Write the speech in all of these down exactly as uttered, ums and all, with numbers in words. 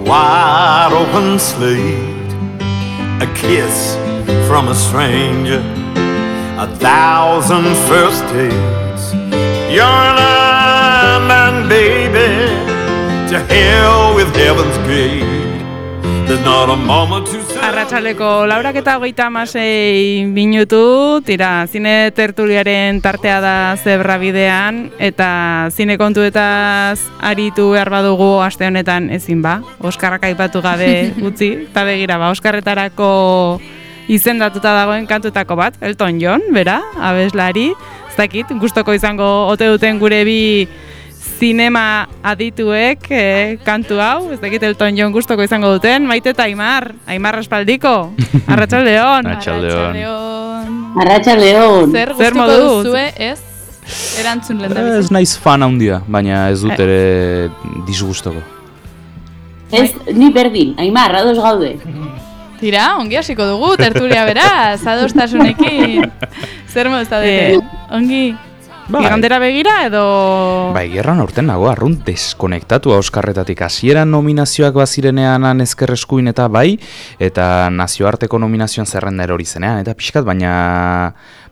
wide open slate, a kiss from a stranger, a thousand first dates. You're an island, baby, to hell with heaven's gate. There's not a moment to say. Arratsaleko laurak eta hogeita hamasei minutu, tira, zine tertuliaren tartea da Zebra bidean, eta zine kontuetaz aritu behar badugu aste honetan ezin ba, Oskarrak aipatu gabe utzi, eta begira ba, Oskarretarako izendatuta dagoen kantutako bat, Elton John, bera, abeslari, ez dakit, gustoko izango ote duten gure bi zinema adituek eh, kantu hau, ez dakit Elton John gustoko izango duten, Maite eta Aimar, Aimar Espaldiko, Arratsaldeon. Arratsaldeon. Arratsaldeon. Zer gustuko duzue, ez? Erantzun lehendabizi. Ez naiz fan handia, baina ez dut ere disgustoko. Ez, ni berdin, Aimar, ados gaude. Tira, ongi hasiko dugu, tertulia beraz, adostasunekin. Zer moduz da dute? Ongi. Bai. Igandera begira edo... Bai, gerran aurten nago, arrunt deskonektatua Oskarretatik. Hasieran nominazioak bazirenean ezkerreskuin eta bai, eta nazioarteko nominazioan zerrenda erori zenean, eta pixkat, baina...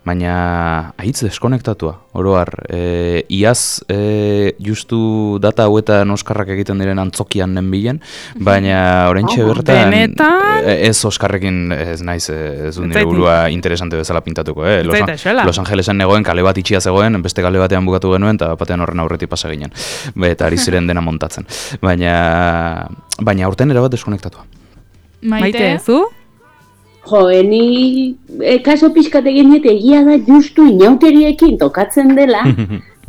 Baina ahitz deskonektatua, oroar. E, iaz e, justu data hauetan Oskarrak egiten diren antzokian nenbilen, baina oraintxe bertan... Benetan? Ez Oskarrekin ez naiz, ez dut nire burua interesante bezala pintatuko. Eh? Los, Los Angelesen negoen, kale bat itxia zegoen, beste kale batean bukatu genuen, eta batean horren aurretik pasa ginen. Eta ari ziren dena montatzen. Baina, baina aurten erabat deskonektatua. Maite, zu? Jo, eni e, kaso pixkat egin eta egia da justu inauteriekin tokatzen dela,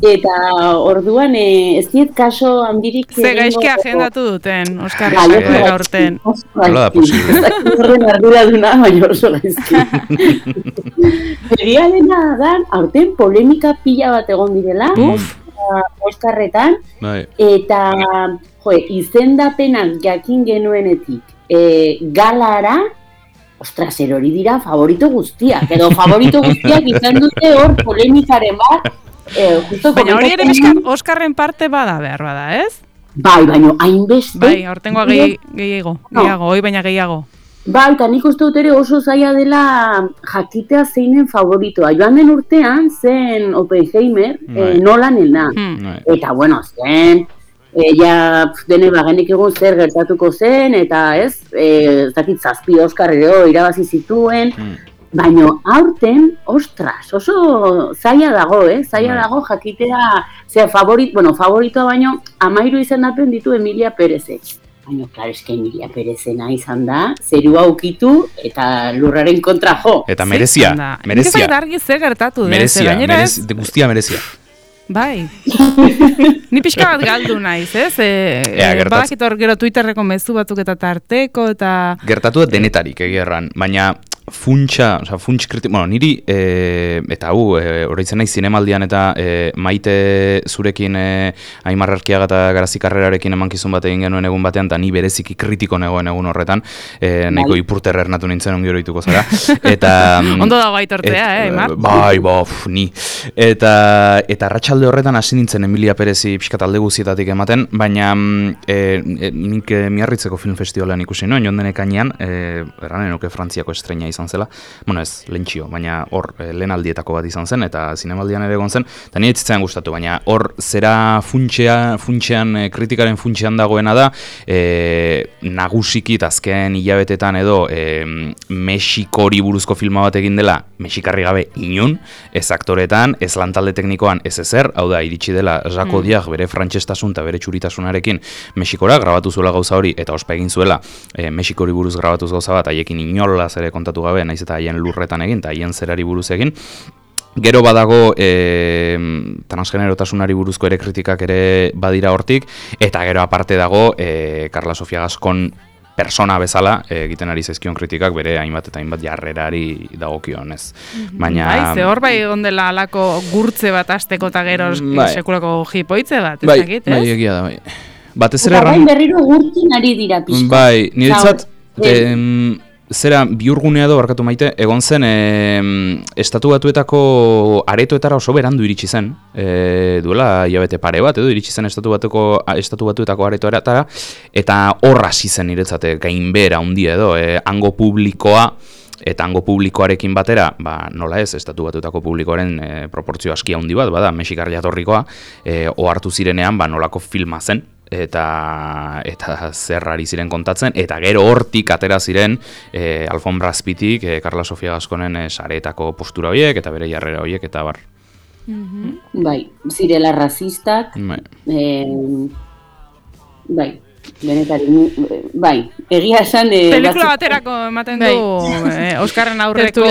eta orduan e, ez diet kaso handirik... Ze gaizki agendatu duten, Oskarrak aurten. Hala da posible. Horren ardura duna, baina oso gaizki. Egia dena da, aurten polemika pila bat egon direla, Oskarretan, eta jo, izendapenak jakin genuenetik e, galara, ostras, erori dira favorito guztiak, edo favorito guztiak izan dute hor polemikaren bat. Eh, justo baina hori ere bizkat Oskarren parte bada behar bada, ez? Bai, baina hainbeste. Bai, hortengoa gehiago, gehiago, hoi baina gehiago. Bai, eta nik uste dut ere oso zaila dela jakitea zeinen favoritoa. Joan den urtean zen Oppenheimer, eh, Nolanena. Hmm. Eta bueno, zen... E, ja, dene bagenik egun zer gertatuko zen, eta ez, ez dakit zazpi Oskar ere irabazi zituen, mm. baina aurten, ostras, oso zaila dago, eh? Zaila mm. dago jakitea, zera, favorit, bueno, favoritoa baino, amairu izendapen ditu Emilia Perezek. Baina, klar, eske Emilia Perezena izan da, zerua ukitu eta lurraren kontra jo. Eta merezia, merezia. Nik ez argi zer gertatu, merezia, merezia, guztia merezia. Bai, ni pixka bat galdu naiz, ez? E, Ea, e, badakit hor gero Twitterreko mezu batzuk eta tarteko, eta... Gertatu da denetarik egerran, baina funtsa, oza, funts kritik, bueno, niri, e, eta hu, e, horreitzen nahi zinemaldian eta e, Maite zurekin e, Aimar Arkiaga eta Garazi Karrerarekin emankizun bat egin genuen egun batean, eta ni bereziki kritiko negoen egun horretan, e, nahiko ipurter ernatu nintzen ongi horituko zara. Eta, ondo dago aitortzea, eh, Aimar? Bai, bai, ni. Eta, eta arratsalde horretan hasi nintzen Emilia Perezi pixkat alde guzietatik ematen, baina e, e, nik e, Miarritzeko Film Festivalean ikusi noen, joan denek ainean, e, erranen nuke Frantziako estreina izan zela, bueno ez, lehentxio, baina hor e, lehen aldietako bat izan zen, eta zinemaldian ere egon zen, eta nire etzitzen gustatu, baina hor zera funtxea, funtxean, e, kritikaren funtxean dagoena da, e, nagusiki azken hilabetetan edo e, Mexikori buruzko filma bat egin dela, Mexikarri gabe inun, ez aktoretan, ez lantalde teknikoan, ez ezer, hau da, iritsi dela Jacques Audiard mm. bere frantsestasun eta bere txuritasunarekin Mexikora grabatu zuela gauza hori, eta ospa egin zuela e, Mexikori buruz grabatuz gauza bat, haiekin inolaz ere kontatu gabe, naiz eta haien lurretan egin, eta haien zerari buruz egin. Gero badago e, transgenerotasunari buruzko ere kritikak ere badira hortik, eta gero aparte dago e, Carla Sofia Gascon persona bezala egiten ari zaizkion kritikak bere hainbat eta hainbat jarrerari dagokion, ez. Baina... Bai, ze hor bai ondela alako gurtze bat asteko eta gero bai. Sekulako jipoitze bat, ez bai, dakit, ez? Bai, egia da, bai. Batez ere erran... berriro gurtzen ari dira pixka. Bai, niretzat, zera bihurgunea edo barkatu Maite, egon zen e, estatu batuetako aretoetara oso berandu iritsi zen, e, duela hilabete pare bat, edo iritsi zen estatu batuko estatu batuetako aretoetara, eta horra hasi zen niretzate gainbehera handia edo, e, hango publikoa, eta hango publikoarekin batera, ba, nola ez, estatu batuetako publikoaren e, proportzio aski handi bat, bada, mexikar jatorrikoa, e, ohartu zirenean, ba, nolako filma zen, eta eta zerrari ziren kontatzen, eta gero hortik atera ziren e, Alfombra Azpitik, e, Carla Sofia Gasconen e, sareetako postura horiek, eta bere jarrera horiek, eta bar. Mm-hmm. Bai, zirela rasistak, bai, e, bai. Benetari, bai, egia esan... E, pelikula baterako ematen du eh, Oskarren aurreko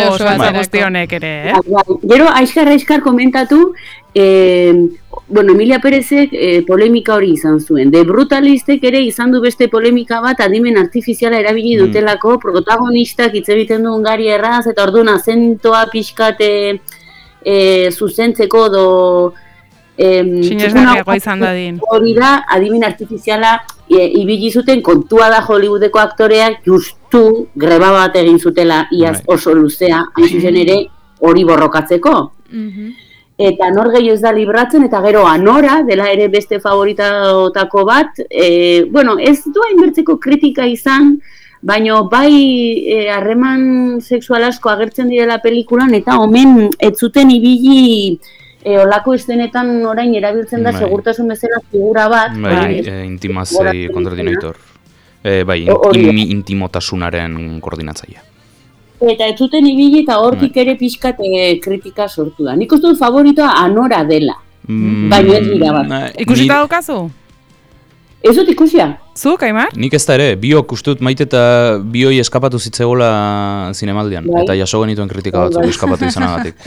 guztionek ere, eh? Bai, gero, aiskar, aiskar komentatu, eh, bueno, Emilia Perezek eh, polemika hori izan zuen. De Brutalistek ere izan du beste polemika bat adimen artifiziala erabili dutelako, mm. protagonistak hitz egiten duen gari erraz, eta orduan azentoa pixkate eh, zuzentzeko do... Sinesgarriagoa izan dadin. Hori da, adimen artifiziala e, ibili zuten kontua da Hollywoodeko aktoreak justu greba bat egin zutela iaz oso luzea, hain zuzen ere hori borrokatzeko. Mm-hmm. Eta nor gehiago ez da libratzen, eta gero Anora, dela ere beste favoritotako bat, e, bueno, ez du hainbertzeko kritika izan, baina bai harreman e, sexual asko agertzen direla pelikulan, eta omen ez zuten ibili... E, olako estenetan orain erabiltzen da, bai, segurtasun bezala figura bat. Bai, bai e, intimazei koordinator. E, bai, in, intimotasunaren koordinatzaia. Eta ez zuten ibili eta hortik ere pixkat e, kritika sortu da. Nik uste dut favoritoa Anora dela. Mm, baina ez dira bat. Ikusita daukazu? Ez dut ikusia. Zuk, Aimar? Nik ez da ere, biok ustut Maite eta bioi eskapatu zitzegola zinemaldian, bai, eta jaso genituen kritika batzuk, bai, eskapatu izanagatik.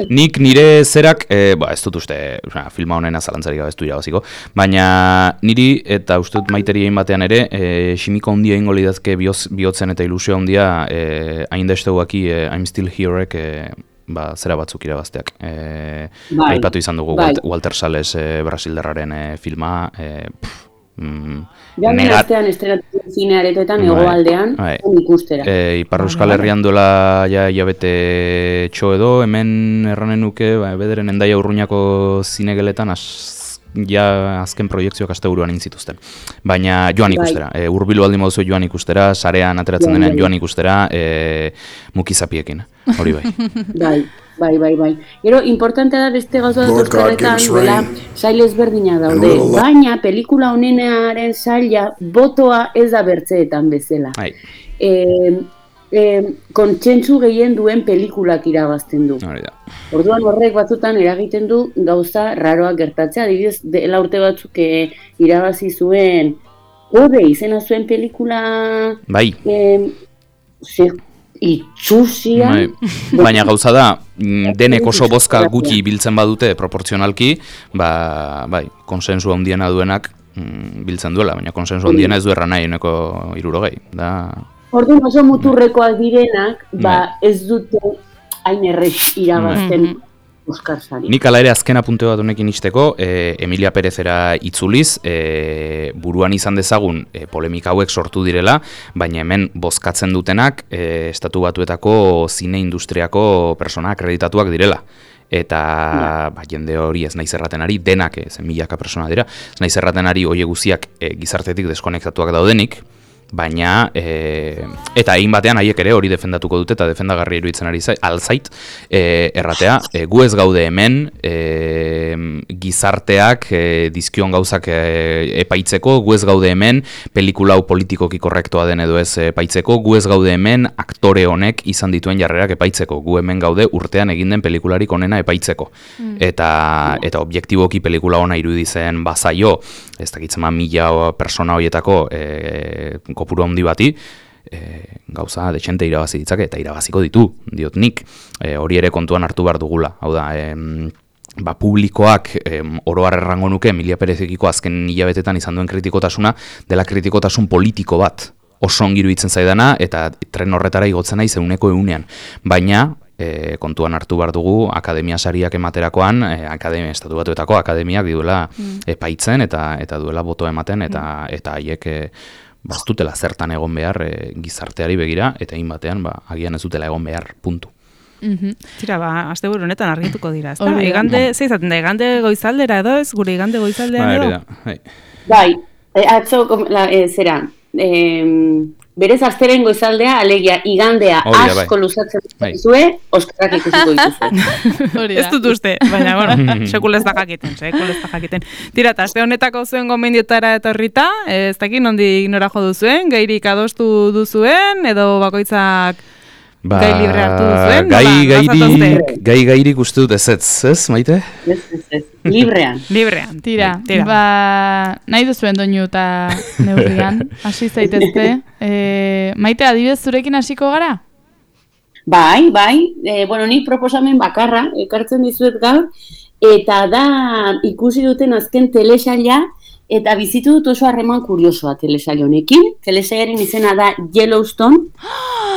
Nik nire zerak, e, ba, ez dut uste, na, filma honena zalantzari gabe ez du irabaziko, baina niri eta ustut Maiteri egin batean ere, e, simiko handia ingo lidazke bihotzen eta ilusio handia, e, hain da esteuaki e, I'm Still Here-ek, e, ba, zera batzuk irabazteak. E, bai, aipatu izan dugu, bai, Walter Sales e, brasildarraren e, filma, e, pff, Mm, Jamen astean estrenatu zinearetoetan hegoaldean ikustera. E, Ipar Euskal Herrian duela ja hilabete txo edo, hemen erranen nuke, ba, bederen Hendaia Urruñako zinegeletan az, ja azken proiektzioak asteburuan egin zituzten. Baina joan ikustera, bai, e, hurbilu baldin moduzu joan ikustera, sarean ateratzen denean joan ikustera, e, mukizapiekin, hori bai. Bai. Bai, bai, bai. Gero, importantea da beste gauza dut euskaretan, duela, sail ezberdina daude. Baina, pelikula honenaren saila, botoa ez da bertzeetan bezala. E, e, kontsentsu gehien duen pelikulak irabazten du. Orduan horrek batzutan eragiten du gauza raroak gertatzea. Adibidez, dela urte batzuk e, irabazi zuen, Ode, izena zuen pelikula... Bai. E, ze, itxusia. Baina gauza da, denek oso bozka gutxi biltzen badute proporzionalki, ba, bai, konsensu handiena duenak mm, biltzen duela, baina konsensu handiena ez du erra nahi uneko hirurogei. Da... Orduan oso muturrekoak direnak, ba, ez dute hain errez irabazten Oskar Sari. Nik ala ere azken apunte bat honekin izteko, e, Emilia Perezera itzuliz, e, buruan izan dezagun e, polemika hauek sortu direla, baina hemen bozkatzen dutenak e, estatu batuetako zine industriako persona akreditatuak direla. Eta ba, jende hori ez naiz erraten ari, denak ez milaka persona dira, ez naiz erraten ari hoie guziak e, gizartetik deskonektatuak daudenik, baina, e, eta egin batean haiek ere hori defendatuko dute eta defendagarri iruditzen ari zait, alzait, e, erratea, e, gu ez gaude hemen, e, gizarteak e, dizkion gauzak e, epaitzeko, gu ez gaude hemen, pelikula hau politikoki korrektoa den edo ez epaitzeko, gu ez gaude hemen, aktore honek izan dituen jarrerak epaitzeko, gu hemen gaude urtean egin den pelikularik onena epaitzeko. Mm. Eta, eta objektiboki pelikula ona iruditzen bazaio, ez dakitzen ma mila persona horietako e, kopuru handi bati, e, gauza dexente irabazi ditzake, eta irabaziko ditu, diot nik, e, hori ere kontuan hartu behar dugula. Hau da, e, ba, publikoak e, oroar errango nuke, Emilia Perezekiko azken hilabetetan izan duen kritikotasuna, dela kritikotasun politiko bat, oso ongi iruditzen zaidana, eta tren horretara igotzen nahi zeuneko eunean. Baina, E, kontuan hartu behar dugu akademia sariak ematerakoan, e, akademia, estatu batuetako akademiak duela mm. epaitzen eta eta duela boto ematen, eta eta haiek e, baztutela zertan egon behar e, gizarteari begira, eta hain batean, ba, agian ez dutela egon behar, puntu. Mm-hmm. Tira, ba, azte buru honetan argituko dira, ezta? Igande, ze izaten da, igande goizaldera edo ez, gure igande goizaldean edo? Bai, bai, e, atzo, la, e, zera, e, berez azteren goizaldea, alegia, igandea Oria, asko bai. luzatzen zue, oskarak ikusiko dituzue. Ez dut uste, baina, bueno, sekul ez da jakiten, sekul ez da jakiten. Tira, eta azte honetako zuen gomendiotara etorrita, ez dakit nondi ignora jo duzuen, gairik adostu duzuen, edo bakoitzak Ba, gai libre hartu duzuen? Gai, gairik, gai gairik uste dut ez ez, ez, Maite? Ez, ez, ez, librean. Librean, tira, tira. Ba, nahi duzuen doinu eta neurrian, hasi zaitezte. E, Maite, adibidez zurekin hasiko gara? Bai, bai, e, bueno, nik proposamen bakarra, ekartzen dizuet gaur, eta da ikusi duten azken telesaila, eta bizitu dut oso harreman kuriosoa telesail honekin. Telesailaren izena da Yellowstone,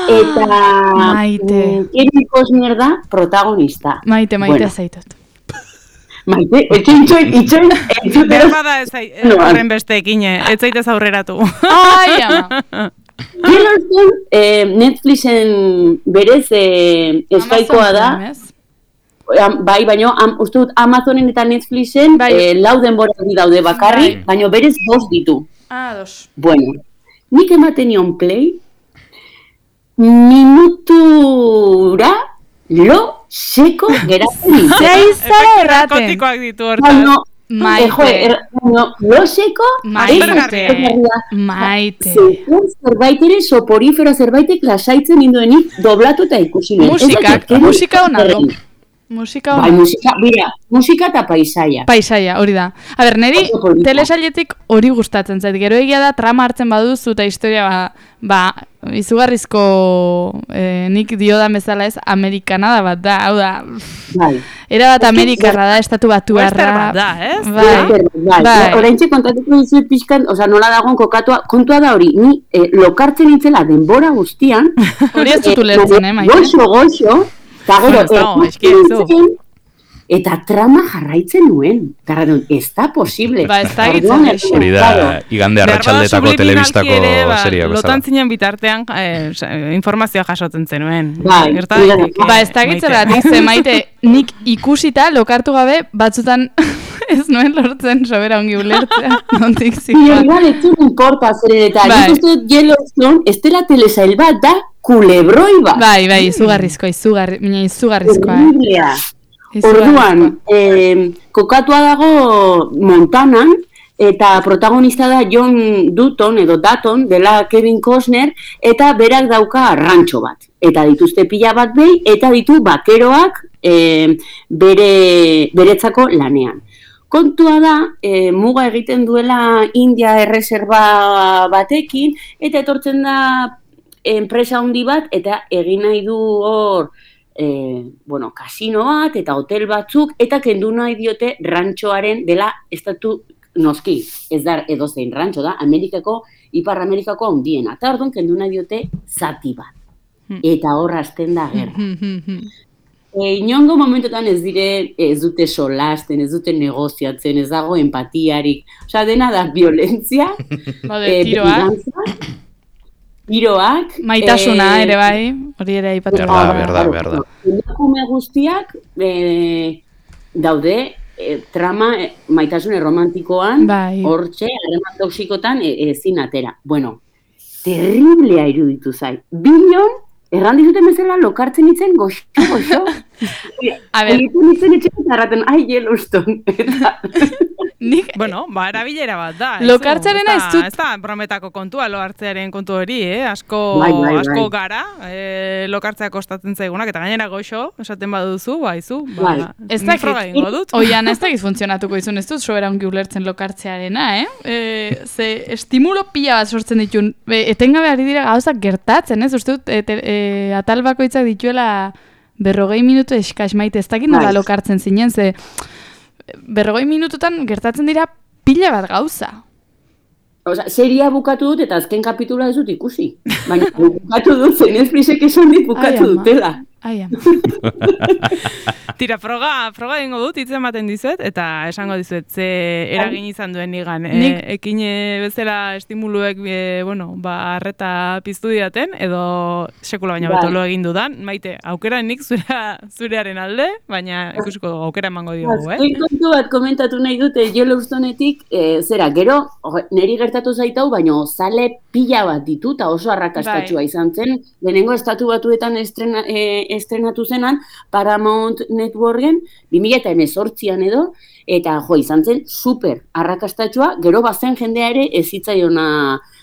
eta Maite. Kevin Costner da protagonista. Maite, maite bueno. Zaitut. Maite, etxoin, itxoin, itxoin, itxoin. Berbada ez horren besteekin, ez zaitez aurreratu. Ai, ama. Yellowstone, eh, Netflixen berez eh, eskaikoa da. Bai, baina uste dut Amazonen eta Netflixen bai. eh, lau denboraldi daude bakarrik, bai. baina berez bost ditu. Ah, dos. Bueno, nik ematen nion play, minutura lo seko geratzen nintzen. Zeizara erraten. Narkotikoak ditu hortaz. No, Maite. Jo, er, no, lo seko, Maite. Maite. Zerbait ere soporifero zerbaitek lasaitzen ninduenik doblatu eta ikusi nuen. Musika, musika hona do. Musika bai, musika, bira, musika eta paisaia. Paisaia, hori da. A ber, neri telesailetik hori gustatzen zait. Gero egia da trama hartzen baduzu eta historia ba, ba izugarrizko eh, nik diodan bezala ez amerikanada bat da. Hau da, bai. Era bat amerikarra da, estatu batuarra. bat da, ez? Bai, bai. bai. Oraintxe kontatuko dizuet pixkan, oza, nola dagoen kokatua, kontua da hori, ni eh, lokartzen nintzela denbora guztian. Hori ez dutu lertzen, eh, Maite? Goxo, goxo. Eta gero, eta trama jarraitzen nuen. Garradun, ez da posible. Ba, ez da gitzen. Hori da, igande arratsaldetako telebistako ba, seria bezala. Lotan zinen bitartean eh, informazioa jasotzen zenuen. Bai, ba, ez da gitzen eratik, ze Maite, nik ikusita lokartu gabe batzutan ez nuen lortzen sobera ongi ulertzea. Nontik zikoan. Igual, ez zuen importa zer eta. Nik uste dut Yellowstone, ez dela telesail bat da, kulebroi bat. Bai, bai, izugarrizkoa, izugarri, mina izugarrizkoa. Horriblea. Orduan, eh, kokatua dago Montanan, eta protagonista da John Dutton, edo Dutton, dela Kevin Costner, eta berak dauka rantxo bat. Eta dituzte pila bat behi, eta ditu bakeroak eh, bere, beretzako lanean. Kontua da, e, muga egiten duela India erreserba batekin, eta etortzen da enpresa handi bat, eta egin nahi du hor, e, bueno, kasino bat, eta hotel batzuk, eta kendu nahi diote rantxoaren dela estatu noski. Ez da edozein rantxo da, Amerikako, Ipar Amerikako handiena. Eta orduan kendu nahi diote zati bat. Eta hor hasten da gerra. E, inongo momentotan ez dire, ez dute solasten, ez dute negoziatzen, ez dago empatiarik. Osa, dena da violentzia, e, tiroak, tiroak. Maitasuna e, ere bai, hori ere aipatu. Berda, berda, berda. Emakume guztiak e, daude e, trama e, maitasune romantikoan, bai. Hortxe, harreman toxikotan ezin e, atera. Bueno, terriblea iruditu zai. Bilion, erran dizuten bezala lokartzen itzen goxo, goxo. A ber. Egiten itzen etxean zarraten, ai, Yellowstone. Nik, bueno, ba, erabilera bat da. Lokartzearena ez dut. Ez da, brometako kontua loartzearen kontu hori, eh? Asko, bai, bai, bai. asko gara, eh, lokartzea kostatzen zaigunak, eta gainera goxo, esaten baduzu, baizu, ba, bai. Ez da egingo dut. Oian, ez da funtzionatuko izun, ez dut sobera ongi ulertzen lokartzearena, eh? E, ze estimulo pila bat sortzen ditun, e, etengabe ari dira gauzak gertatzen, ez? Uste dut, e, e, atal bakoitzak dituela berrogei minutu eskas Maite, ez dakit nola lokartzen zinen, ze berrogei minututan gertatzen dira pila bat gauza. Osa, seria bukatu dut eta azken kapitula ez dut ikusi. Baina bukatu dut, zen Netflixek esan dit bukatu dutela. Aia. Tira, froga, froga egingo dut, hitz ematen dizuet, eta esango dizuet, ze eragin izan duen nigan. Nik... E, ekine bezala estimuluek, e, bueno, ba, arreta piztu didaten, edo sekula baina bai. betolo egin dudan. Maite, aukera nik zura, zurearen alde, baina ikusiko dugu, aukera emango diogu, eh? Azken kontu bat komentatu nahi dute, Yellowstonetik, e, zera, gero, niri gertatu zaitau, baina zale pila bat ditu, eta oso arrakastatxua bai. Izan zen, lehenengo estatu batuetan estrena, e, estrenatu zenan, Paramount Networken, bi mila hemezortzian edo, eta jo, izan zen super arrakastatxua, gero bazen jendea ere ez zitzaiona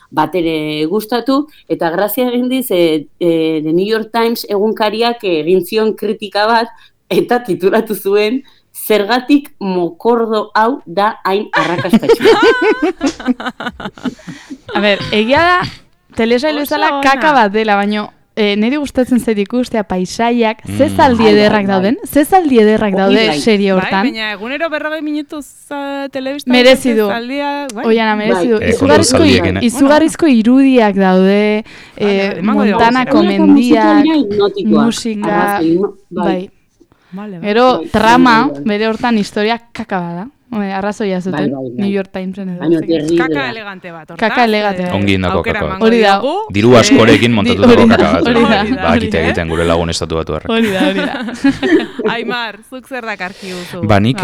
batere gustatu, eta grazia egin diz, e, e, The New York Times egunkariak egin zion kritika bat, eta titulatu zuen, zergatik mokordo hau da hain arrakastatxua. A ber, egia da, telesail bezala kaka bat dela, baino, E, niri gustatzen zait ikustea paisaiak, mm. ze zaldi ederrak dauden, ze zaldi ederrak daude serie hortan. Bai, baina egunero berrogei minutuz uh, telebista merezi du. Bai. Oiana, merezi du. Bai. Izugarrizko, eh? izugarrizko irudiak daude, eh, Montanako mendiak, musika, bai. Gero, trama, bere hortan historia kaka bada. Arrazoia zuten, bai, bai, bai. New York Timesen edo. Kaka elegante bat, hortaz. Kaka elegante bat. Ongi indako kaka bat. Hori da. Diru askorekin montatuko kaka bat. Hori da. Ba, akite egiten gure lagun estatu batu harrak. Hori da, hori da. Aimar, zuk zer dakarki duzu? Ba, nik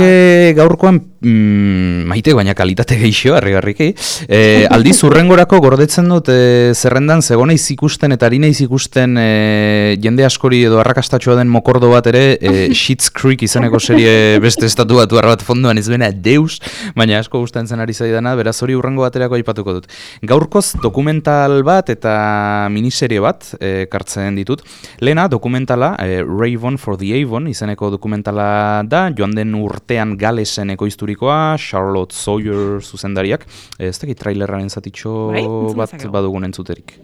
gaurkoan mm, maite, baina kalitate geixo, harri-garriki. E, aldiz, urrengorako gordetzen dut e, zerrendan zegona izikusten eta harina izikusten e, jende askori edo arrakastatxoa den mokordo bat ere, e, Schitt's Creek izeneko serie beste estatu batu harra bat fonduan ez bena deus, baina asko gustatzen ari zaidana, beraz hori urrengo baterako aipatuko dut. Gaurkoz dokumental bat eta miniserie bat ekartzen ditut. Lehena dokumentala, e, Raven for the Avon izeneko dokumentala da, joan den urtean Galesen ekoizturikoa, Charlotte Sawyer zuzendariak. Ez dakit trailerraren zatitxo bat badugun entzuterik.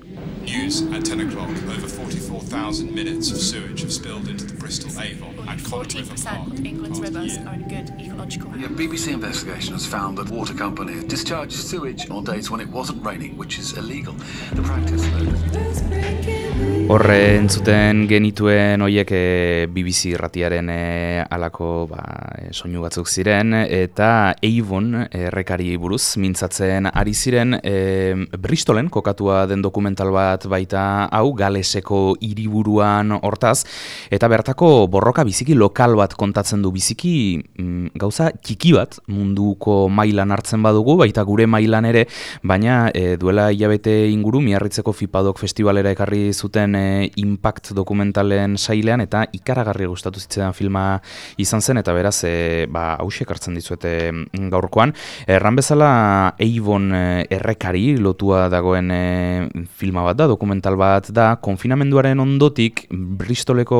News at ten o'clock, over forty-four thousand minutes of sewage have spilled into the Bristol Avon and Cod River Park. Of England's rivers are in good ecological health. A B B C investigation has found that water company discharges sewage on days when it wasn't raining, which is illegal. The practice Horre entzuten genituen hoiek e, B B C irratiaren e, alako ba, e, soinu batzuk ziren, eta Avon errekari buruz mintzatzen ari ziren e, Bristolen kokatua den dokumental bat baita hau, Galeseko hiriburuan hortaz, eta bertako borroka biziki lokal bat kontatzen du, biziki mm, gauza txiki bat munduko mailan hartzen badugu, baita gure mailan ere, baina e, duela hilabete inguru Miarritzeko Fipadok festivalera ekarri zuten e, Impact dokumentalen sailean, eta ikaragarri gustatu zitzaidan filma izan zen, eta beraz e, ba, hauxe ekartzen dizuete gaurkoan. Erran bezala Avon e, errekari lotua dagoen e, filma bat da, dokumental bat da, konfinamenduaren ondotik Bristoleko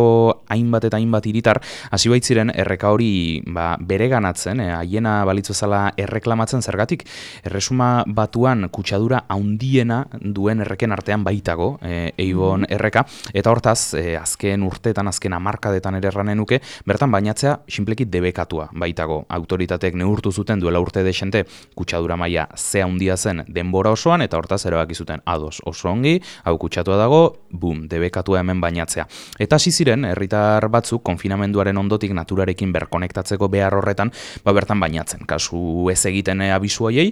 hainbat eta hainbat hiritar hasi baitziren erreka hori ba, bereganatzen, e, haiena balitz bezala erreklamatzen zergatik. Erresuma Batuan kutsadura handiena duen erreken artean baitago, e, Avon erreka, eta hortaz, e, azken urteetan, azken hamarkadetan ere erranen nuke, bertan bainatzea sinpleki debekatua baitago. Autoritateek neurtu zuten duela urte desente kutsadura maila ze handia zen denbora osoan, eta hortaz erabaki zuten ados oso ongi, hau kutsatua dago, bum, debekatua hemen bainatzea. Eta hasi ziren herritar batzuk konfinamenduaren ondotik naturarekin berkonektatzeko behar horretan, ba bertan bainatzen. Kasu ez egiten e, abisu haiei,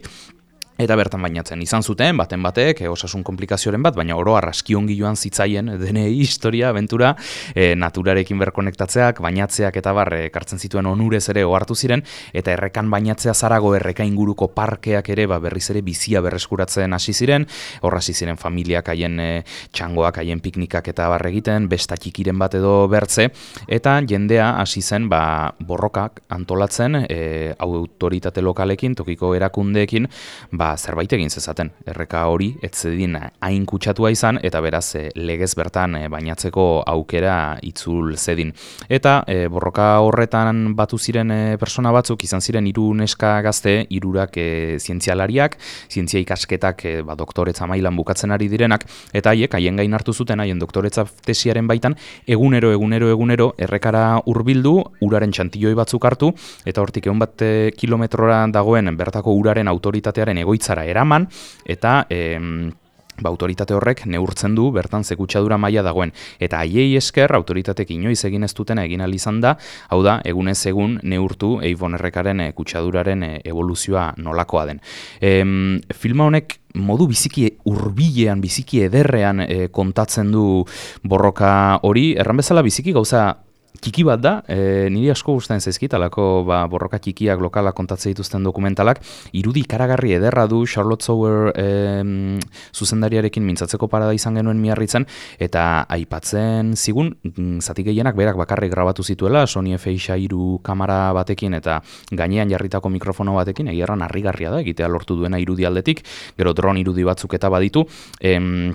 eta bertan bainatzen izan zuten, baten batek, e, osasun komplikazioaren bat, baina oro arraski ongi joan zitzaien, denei historia, aventura, e, naturarekin berkonektatzeak, bainatzeak eta barre ekartzen zituen onurez ere ohartu ziren, eta errekan bainatzea zarago erreka inguruko parkeak ere ba, berriz ere bizia berreskuratzen hasi ziren, horra hasi ziren familiak haien e, txangoak, haien piknikak eta barre egiten, besta txikiren bat edo bertze, eta jendea hasi zen ba, borrokak antolatzen, e, autoritate lokalekin, tokiko erakundeekin, ba, zerbait egin zezaten. Erreka hori ez zedin hain kutsatua izan, eta beraz e, legez bertan e, bainatzeko aukera itzul zedin. Eta e, borroka horretan batu ziren e, persona batzuk, izan ziren hiru neska gazte, hirurak e, zientzialariak, zientzia ikasketak e, ba, doktoretza mailan bukatzen ari direnak, eta haiek haien gain hartu zuten, haien doktoretza tesiaren baitan, egunero, egunero, egunero, errekara hurbildu, uraren txantilloi batzuk hartu, eta hortik egun bat e, kilometrora dagoen bertako uraren autoritatearen egoitzara eraman, eta em, ba, autoritate horrek neurtzen du bertan ze kutsadura maila dagoen. Eta haiei esker autoritatek inoiz egin ez dutena egin ahal izan da, hau da, egunez egun neurtu Avon errekaren e, kutsaduraren e, evoluzioa nolakoa den. E, filma honek modu biziki hurbilean, biziki ederrean e, kontatzen du borroka hori, erran bezala biziki gauza txiki bat da, e, niri asko gustatzen zaizkit, alako ba, borroka txikiak lokalak kontatzen dituzten dokumentalak, irudi ikaragarri ederra du Charlotte Sauer e, zuzendariarekin mintzatzeko parada izan genuen Miarritzen, eta aipatzen zigun, zati gehienak berak bakarrik grabatu zituela, Sony F X hiru kamera batekin eta gainean jarritako mikrofono batekin, egierran harrigarria da, egitea lortu duena irudi aldetik, gero dron irudi batzuk eta baditu, em,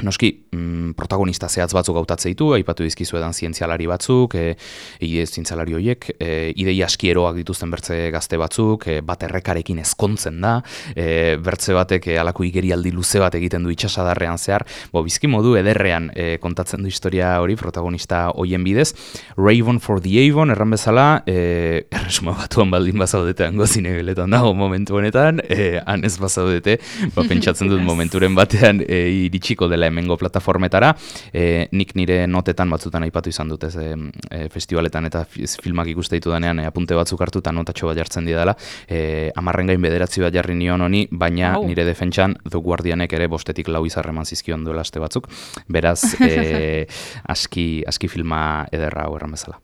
noski, mm, protagonista zehatz batzuk hautatzen ditu, aipatu dizkizuedan zientzialari batzuk, e, e, zientzialari horiek, e, idei askieroak dituzten bertze gazte batzuk, e, bat errekarekin ezkontzen da, e, bertze batek e, alako igerialdi luze bat egiten du itxasadarrean zehar, bo, bizki modu ederrean e, kontatzen du historia hori, protagonista hoien bidez. Raven for the Avon, erran bezala, e, erresuma batuan baldin bazaudete hango zinegeletan dago momentu honetan, e, han ez bazaudete, ba, pentsatzen dut momenturen batean e, iritsiko dela hemengo plataformetara, e, nik nire notetan batzutan aipatu izan dut ez, e, festivaletan eta filmak ikuste ditu denean e, apunte batzuk hartu eta notatxo bat jartzen didala, e, amarren gain bederatzi bat jarri nion honi, baina oh. nire defentsan The Guardianek ere bostetik lau izarreman zizkion duela aste batzuk, beraz e, aski, aski filma ederra hau erran bezala.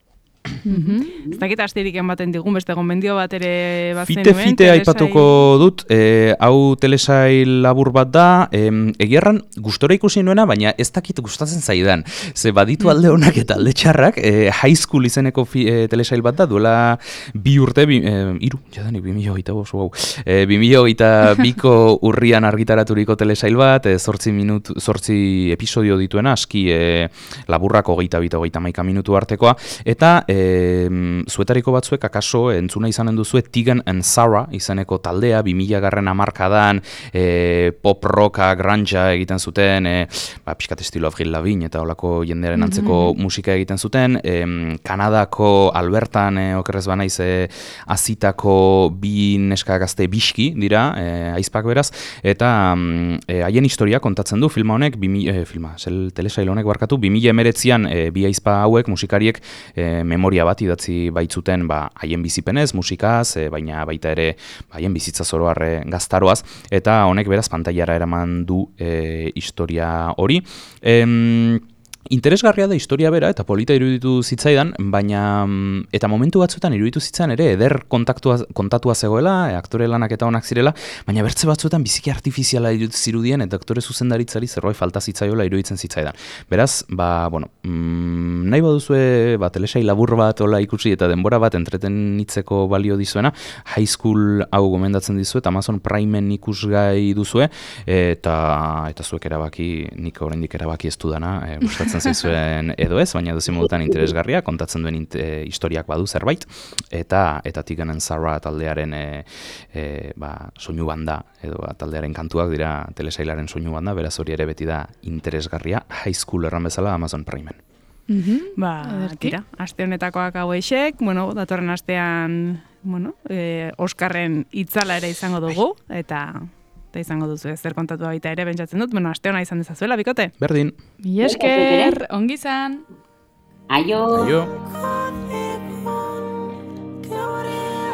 Ez dakit astirik ematen digun beste gomendio bat ere bazen nuen. Fite-fite aipatuko dut, e, hau telesail labur bat da, e, egierran gustora ikusi nuena, baina ez dakit gustatzen zaidan. Ze baditu alde honak eta alde txarrak, e, High School izeneko fi, e, telesail bat da, duela bi urte, bi, e, iru, jadanik, bi mila hogeita bost, wow. E, bi mila hogeita biko urrian argitaraturiko telesail bat, e, zortzi, minutu, zortzi episodio dituena, aski e, laburrak hogeita bita, hogeita maika minutu artekoa, eta e, zuetariko batzuek akaso entzuna izanen duzue Tegan and Sara izeneko taldea, bi mila garren hamarkadan e, pop rocka, granja egiten zuten, e, ba, pixkat estilo Avril Lavigne eta olako jendearen antzeko mm-hmm. musika egiten zuten, e, Kanadako Albertan, e, okerrez banaiz, e, azitako bi neska gazte biski dira, e, aizpak beraz, eta e, haien historia kontatzen du filma honek, bi, e, filma, zel telesail honek barkatu, bi mila emeretzian e, bi aizpa hauek, musikariek, e, memoria bat idatzi baitzuten ba, haien bizipenez, musikaz, e, baina baita ere ba, haien bizitza zoroar e, gaztaroaz, eta honek beraz pantailara eraman du e, historia hori. Em, Interesgarria da historia bera eta polita iruditu zitzaidan, baina eta momentu batzuetan iruditu zitzaidan ere eder kontaktua, kontatua zegoela, e, aktore lanak eta onak zirela, baina bertze batzuetan biziki artifiziala zirudien eta aktore zuzendaritzari zerbait falta zitzaiola iruditzen zitzaidan. Beraz, ba, bueno, mm, nahi baduzue ba, telesail labur bat ola ikusi eta denbora bat entretenitzeko balio dizuena, High School hau gomendatzen dizuet, Amazon Primeen ikusgai duzue, eta, eta zuek erabaki, nik oraindik erabaki ez dudana, e, gustatzen zaizuen edo ez, baina dozi modutan interesgarria, kontatzen duen e, historiak badu zerbait, eta eta Tegan and Sara taldearen e, e, ba, soinu banda, edo ba, taldearen kantuak dira telesailaren soinu banda, beraz hori ere beti da interesgarria, High School erran bezala Amazon Primeen. Mm-hmm. Ba, tira, aste honetakoak hau eixek, bueno, datorren astean, bueno, e, Oskarren itzala ere izango dugu, eta... eta izango duzu zer kontatu baita ere pentsatzen dut, bueno, aste ona izan dezazuela, bikote? Berdin. Mi esker, ongi izan. Aio. Aio.